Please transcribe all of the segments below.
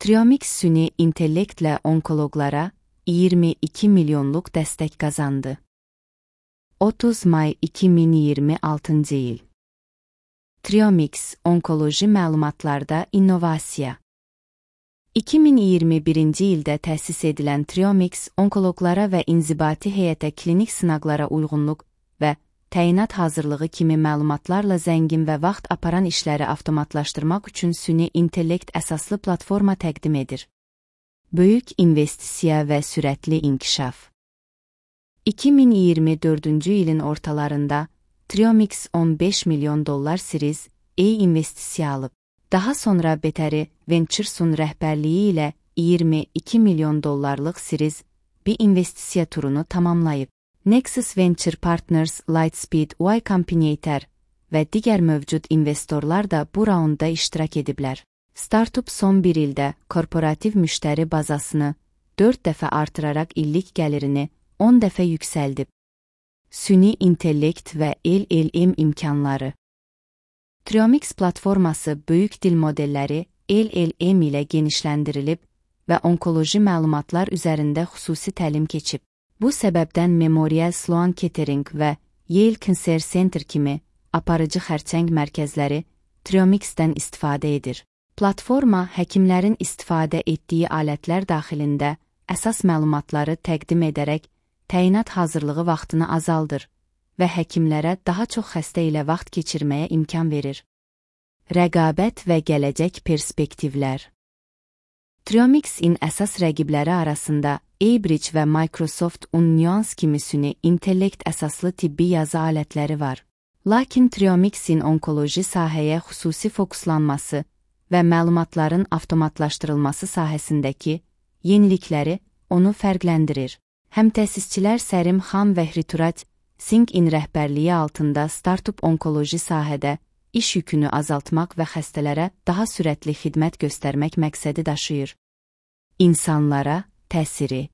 Triomix süni intellektlə onkologlara 22 milyonluq dəstək qazandı. 30 may 2026 il. Triomix onkoloji məlumatlarda innovasiya. 2021-ci ildə təsis edilən Triomix onkologlara və inzibati heyətə klinik sınaqlara uyğunluq və təyinat hazırlığı kimi məlumatlarla zəngin və vaxt aparan işləri avtomatlaşdırmaq üçün süni intellekt əsaslı platforma təqdim edir. Böyük investisiya və sürətli inkişaf. 2024-cü ilin ortalarında Triomix 15 milyon dollar Series A investisiya alıb. Daha sonra Beteri Ventures'un rəhbərliyi ilə 22 milyon dollarlıq Series B investisiya turunu tamamlayıb. Nexus Venture Partners, Lightspeed, Y Combinator və digər mövcud investorlar da bu raunda iştirak ediblər. Startup son bir ildə korporativ müştəri bazasını 4 dəfə artıraraq illik gəlirini 10 dəfə yüksəldib. Süni intellekt və LLM imkanları. Triomix platforması böyük dil modelləri LLM ilə genişləndirilib və onkoloji məlumatlar üzərində xüsusi təlim keçib. Bu səbəbdən Memorial Sloan Kettering və Yale Cancer Center kimi aparıcı xərçəng mərkəzləri Triomix-dən istifadə edir. Platforma həkimlərin istifadə etdiyi alətlər daxilində əsas məlumatları təqdim edərək təyinat hazırlığı vaxtını azaldır və həkimlərə daha çox xəstə ilə vaxt keçirməyə imkan verir. Rəqabət və gələcək perspektivlər. Triomix-in əsas rəqibləri arasında Abridge və Microsoft Nuance kimi süni intellekt əsaslı tibbi yazı alətləri var. Lakin Triomix-in onkoloji sahəyə xüsusi fokuslanması və məlumatların avtomatlaşdırılması sahəsindəki yenilikləri onu fərqləndirir. Həmtəsisçilər Sərim Xan və Hriturat Singh-in rəhbərliyi altında startup onkoloji sahədə iş yükünü azaltmaq və xəstələrə daha sürətli xidmət göstərmək məqsədi daşıyır. İnsanlara təsiri.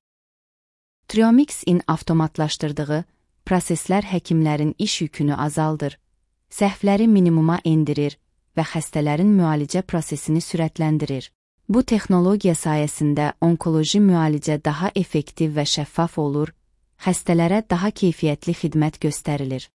Triomix-in avtomatlaşdırdığı proseslər həkimlərin iş yükünü azaldır, səhvləri minimuma endirir və xəstələrin müalicə prosesini sürətləndirir. Bu texnologiya sayəsində onkoloji müalicə daha effektiv və şəffaf olur, xəstələrə daha keyfiyyətli xidmət göstərilir.